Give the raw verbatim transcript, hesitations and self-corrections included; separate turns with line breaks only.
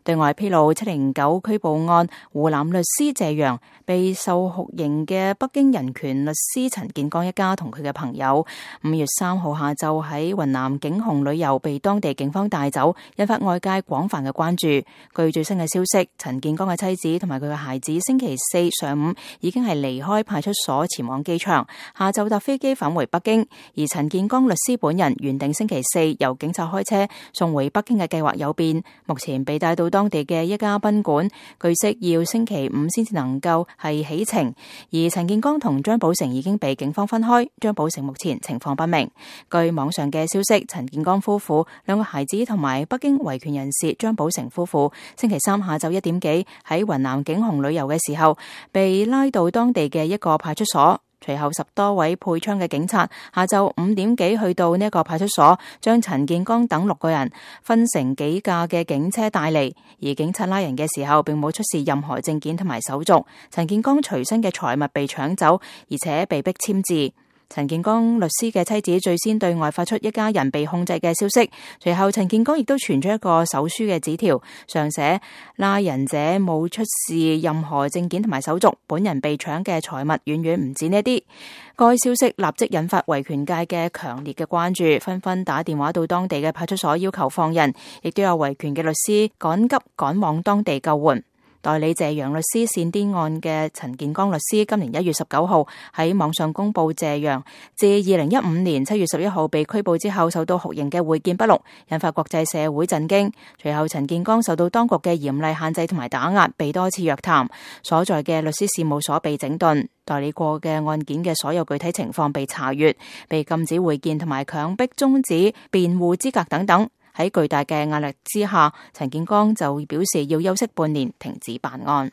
對外披露七零九拘捕案湖南律師謝陽被受酷刑嘅北京人權律師陳建剛一家同佢嘅朋友五月三號下晝喺雲南景洪旅遊被當地警方帶走，引發外界廣泛嘅關注。據最新嘅消息，陳建剛嘅妻子同埋佢嘅孩子星期四上午已經係離開派出所前往機場，下晝搭飛機返回北京。而陳建剛律師本人原定星期四由警察開車送回北京嘅計劃有變，目前被帶到當地嘅一家賓館，據悉要星期五先至能夠係起程。而陳建剛同張寶成已經被警方分開，張寶成目前情況不明。據網上嘅消息，陳建剛夫婦、兩個孩子同埋北京維權人士張寶成夫婦星期三下晝一點幾喺雲南景洪旅遊嘅時候，被拉到當地嘅一個派出所。隨後十多位配槍嘅警察下晝五點幾去到呢一個派出所，將陳建剛等六個人分成幾架嘅警車帶嚟。而警察拉人嘅時候，並冇出示任何證件同埋手續。陳建剛隨身嘅財物被搶走，而且被逼簽字。陳建剛律師嘅妻子最先對外發出一家人被控制嘅消息，隨後陳建剛亦都傳出一個手書嘅紙條，上寫拉人者冇出示任何證件同埋手續，本人被搶嘅財物遠遠唔止呢啲。該消息立即引發維權界嘅強烈嘅關注，紛紛打電話到當地嘅派出所要求放人，亦都有維權嘅律師趕急趕往當地救援。代理謝陽律師煽顛案嘅陳建剛律師今年一月十九號喺網上公布謝陽自二零一五年七月十一號被拘捕之後受到酷刑嘅會見筆錄，引發國際社會震驚。隨後陳建剛受到當局嘅嚴厲限制同埋打壓，被多次約談，所在嘅律師事務所被整頓，代理過嘅案件嘅所有具體情況被查閱，被禁止會見同埋強迫終止辯護資格等等。喺巨大嘅壓力之下，陳建剛就表示要休息半年，停止辦案。